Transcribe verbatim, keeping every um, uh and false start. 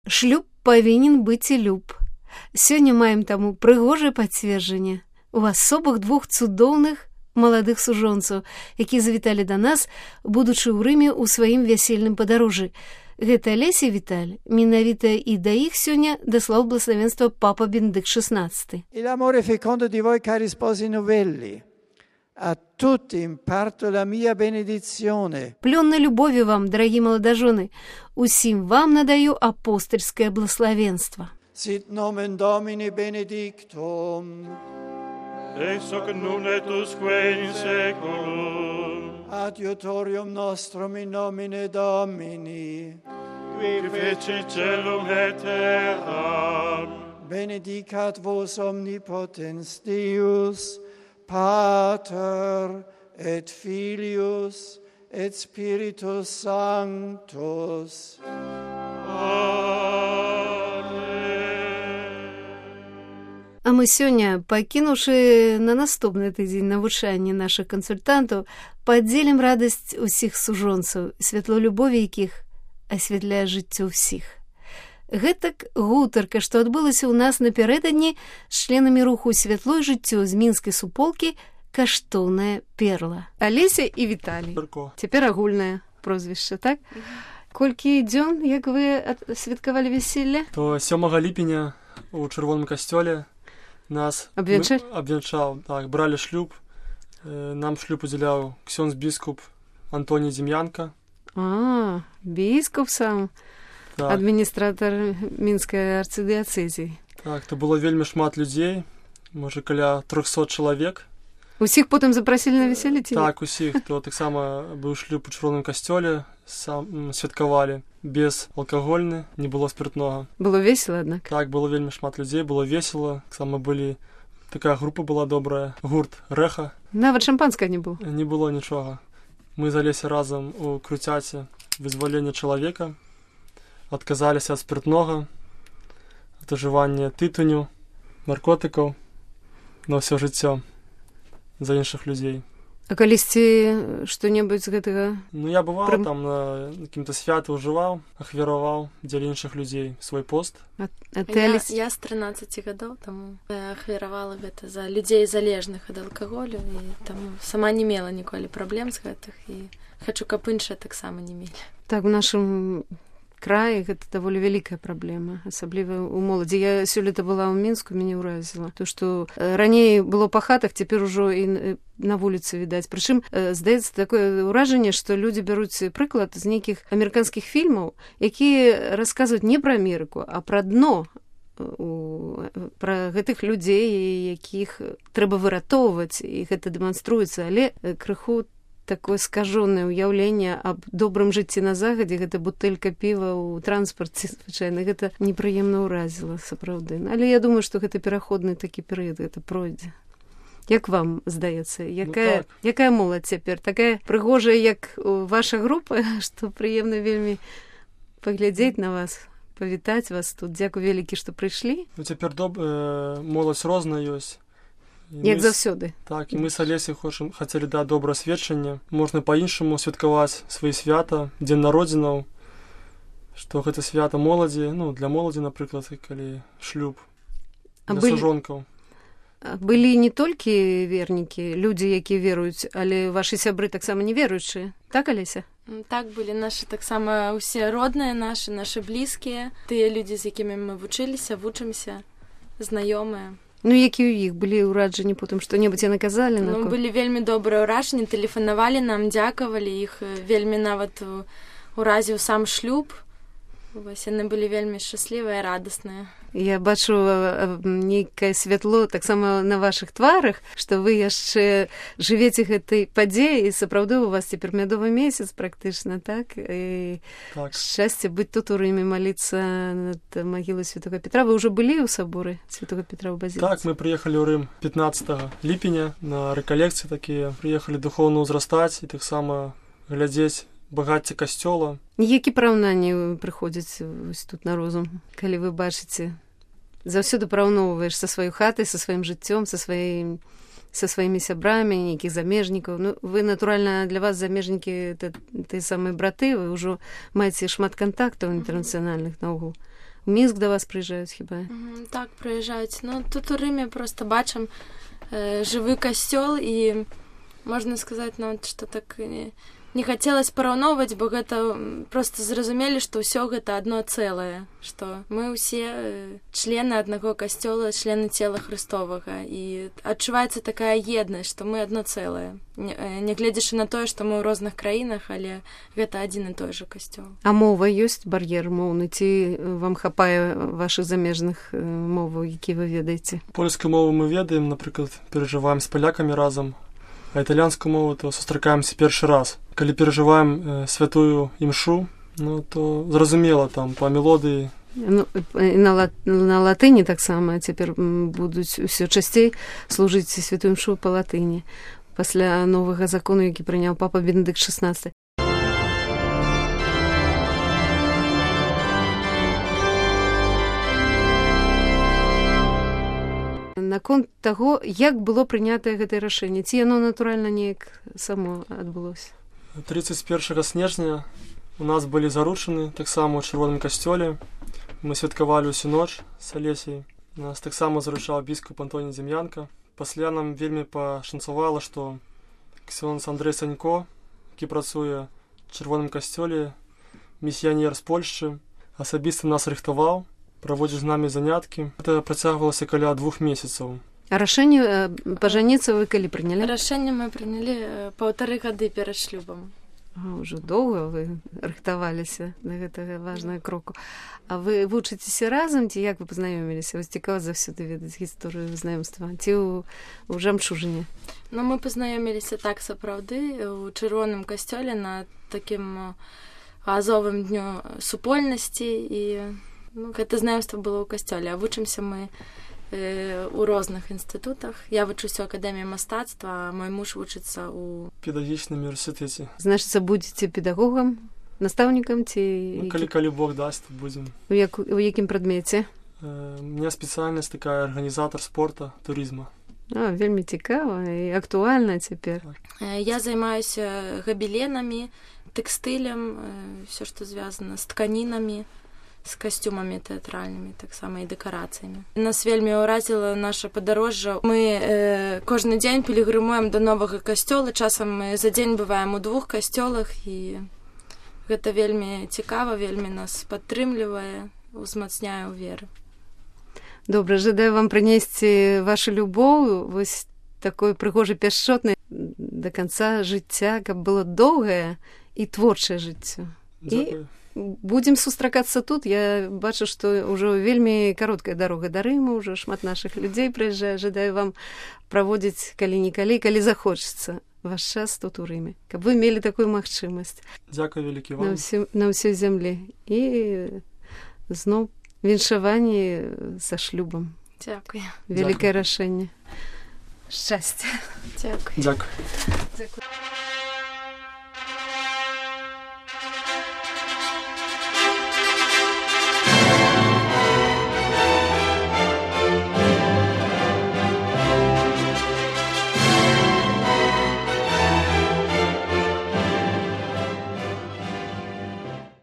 Шлюб павінен быць і люб. Сёння маем таму прыгожае пацверджанне у асобах двух цудоўных маладых сужонцаў, якія завіталі да нас, будучы ў Рыме ў сваім вясельным падарожжы. Гэта Алеся і Віталь. Менавіта і да іх сёння даслаў благословенства папа Бенедикт шестнадцатый. E l'amore fecondo di voi, cari sposi novelli. A tutti imparto la mia benedizione. Плённой любові вам, дарагі маладажоны, усім вам надаю апостольскае благословенство. Sit nomen Domini benedictum. Ex hoc nun et usque in saeculum. Adiutorium nostrum in nomine Domini. Qui feci celum et terram. Benedicat vos omnipotens Deus, Pater et Filius et Spiritus Sanctus. А мы сёння, пакінуўшы на наступны тыдзень навучанне нашых кансультантаў, падзелім радасць усіх сужонцаў, святло любові якіх асвятляе жыццё ўсіх. Гэтак гутарка, што адбылася ў нас напярэдадні з членамі руху «Святло і жыццё» з мінскай суполкі «Каштоўная перла». Алеся і Віталій. Цяпер агульнае прозвішча, так? Колькі дзён, як вы святкавалі вяселле? То сёмага ліпеня у чырвоным касцёле нас абвянчалі? Абвянчаў, так, бралі шлюб. Нам шлюб удзяляў ксёндз-біскуп Антоній Дзім'янка. А, біскуп сам, так. Адміністратар мінскай арцыдыяцэзіі. Так, то было вельмі шмат людзей, можа, каля трохсот чалавек. Усіх потым запрасілі на вяселле ці? Так, усіх. То таксама быў шлюб у чырвоным касцёле, сам святкавалі. Без алкагольны, не было спиртнога. Было весела, аднак? Так, было вельмі шмат людзей, было весела. Таксама былі, такая група была добрая, гурт «Рэха». Нават шампанскага не было? Не было нічога. Мы залезі разам у круцяце «Вызвалення чалавека», адказаліся ад спиртнога, ад ужывання тытуню, наркотыкаў на ўсё жыццё за іншых людзей. А калісьці што-небудзь з гэтага? Ну, я бываў Прым... там на какім-то святы ўжываў, ахвяраваў дзеля іншых людзей свой пост. А, а ты, я, Алесь... я з трынаццаці гадоў, таму ахвяравала гэта за людзей залежных ад алкаголю, і таму сама не мела ніколі праблем з гэтых, і хачу, каб іншыя таксама не мелі. Так, у нашым краі гэта даволі вялікая праблема, асабліва ў моладзі. Я сёлета была ў Мінску, мяне ўразіла. То, што раней было па хатах, цяпер ужо і на вуліцы відаць. Прычым, здаецца, такое ўражанне, што людзі бяруць прыклад з нейкіх амерыканскіх фільмаў, якія расказваюць не пра Амерыку, а пра дно, пра гэтых людзей, якіх трэба выратоўваць, і гэта дэманструецца, але крыху такое скажонае ўяўленне аб добрым жыцці на захадзе, гэта бутэлька піва ў транспарце, звычайна, гэта непрыемна ўразіла, сапраўды. Але я думаю, што гэта пераходны такі перыяд, гэта пройдзе. Як вам здаецца? Якая, ну, так. якая моладзь цяпер? Такая прыгожая, як ваша група, што прыемна вельмі паглядзець на вас, павітаць вас тут. Дзякуй вялікі, што прыйшлі. Ну, цяпер доб... э, моладзь розная ёсць. Як заўсёды. Так, і мы з Алесяй хочам, хацелі даць добрае сведчанне. Можна па-іншаму святкаваць свае свята, дзень народзінаў, што гэта свята моладзі, ну, для моладзі, напрыклад, калі шлюб, для а сужонкаў. Былі не толькі вернікі, людзі, якія веруюць, але вашы сябры таксама не веруючыя. Так, Алеся? Так, былі нашы таксама ўсе родныя нашы, нашы блізкія, тыя людзі, з якімі мы вучыліся, вучымся, знаёмыя. Ну, які ў іх былі ўраджанні потым, што-небудзь яны казалі? Ну, на... былі вельмі добрыя ўражанні, тэлефанавалі нам, дзякавалі, іх вельмі нават уразіў сам шлюб. Вось, яны былі вельмі шчаслівыя, радасныя. Я бачу нейкае святло таксама на вашых тварах, што вы яшчэ жывеце гэтай падзеі, і сапраўды у вас цяпер мядовы месяц практычна, так? І так. Шчасце быць тут у Рыме, маліцца над магілай Святога Петра. Вы ўжо былі ў саборы Святога Петра ў базіліцы? Так, мы прыехалі ў Рым пятнаццатага ліпеня на рэкалекцыі такія. Прыехалі духоўна ўзрастаць і таксама глядзець багацце касцёла. Які параўнанні прыходзяць вось тут на розум, калі вы бачыце? Заўсёды параўноўваеш са сваёй хатай, са сваім жыццём, са, сваім, са сваімі сябрамі, нейкіх замежнікаў. Ну, вы, натуральна, для вас замежнікі, тыя самыя браты, вы ўжо маеце шмат кантактаў інтэрнацыянальных наогул. Мінск да вас прыязджаюць хіба? Так, прыязджаюць. Ну, тут у Рыме проста бачым э, жывы касцёл, і можна сказаць нават, што так не, не хацелася параўноўваць, бо гэта проста зразумелі, што ўсё гэта адно цэлае, што мы ўсе члены аднаго касцёла, члены цела Христовага, і адчуваецца такая еднасць, што мы адно цэлае. Нягледзячы на тое, што мы ў розных краінах, але гэта адзін і той жа касцёл. А мова ёсць бар'ер моўны, ці вам хапае вашых замежных моваў, які вы ведаеце? Польскую мову мы ведаем, напрыклад, перажываем з палякамі разам, а італьянскую мову то сустракаемся першы раз. Калі перажываем э, святую імшу, ну то зразумела там па мелодыі. Ну, на, лат... на латыні таксама цяпер будуць усё часцей служыць святую імшу па латыні пасля новага закону, які прыняў папа Бенедыкт шаснаццаты. Наконт таго, як было прынятае гэтае рашэнне, ці яно натуральна неяк само адбылося? тридцать первого снежня у нас былі заручаны таксама ў чырвоным касцёле. Мы святкавалі ўсю ноч з Алесей. Нас таксама заручаў біскуп Антоній Дзем'янка. Пасля нам вельмі пашанцавала, што ксёндз Андрэй Санько, які працуе ў чырвоным касцёле, місіянер з Польшчы, асабіста нас рыхтаваў, праводзіў з намі заняткі. Гэта працягвалася каля двух месяцаў. А рашэнне пажаніцца вы калі прынялі? Рашэнне мы прынялі паўтары гады перад шлюбам. А, ўжо доўга вы рыхтаваліся да гэтага важнага кроку. А вы вучыцеся разам, ці як вы пазнаёміліся? Вас цікава заўсёды ведаць гісторыю знаёмства, ці ў, ў Жамчужыне? Ну, мы пазнаёміліся так сапраўды у чырвоным касцёле на такім азовым дню супольнасці, і ну, гэта знаёмства было ў касцёле, а вучымся мы у розных інстытутах. Я вучуся ў акадэміі мастацтва, а мой муж вучыцца ў педагагічным універсітэце. Значыцца, будзеце педагогам, настаўнікам ці... Ну, калі, калі Бог дасць, то будзем. У, як, у якім прадмеце? Э, у меня спецыяльнасць такая арганізатар спорта, турызма. А, вельмі цікава і актуальна цяпер. Я займаюся габеленамі, тэкстылем, все, што звязана з тканінамі, з касцюмамі тэатральнымі, таксама і дэкарацыямі. Нас вельмі ўразіла наша падарожжа. Мы э, кожны дзень пілігрымуем да новага касцёла, часам мы за дзень бываем у двух касцёлах, і гэта вельмі цікава, вельмі нас падтрымлівае, узмацняе ў веры. Добра, жадаю вам прынесці вашу любоў, вось такой прыгожай пяшчотнай да канца жыцця, каб было доўгае і творчае жыццё. Дзякую. Будзем сустракацца тут. Я бачу, што ўжо вельмі кароткая дарога да Рыму, ўжо шмат нашых людзей прыязджае. Жадаю вам праводзіць калі-нікалі, калі захочацца ваш час тут у Рыме, каб вы мелі такую магчымасць. Дзякую вялікі вам. На ўсё, на ўсёй зямлі. І зноў віншаванні са шлюбам. Дзякую. Вялікае рашэнне. Шчасця. Дзякую. Дзякую. Дзякую.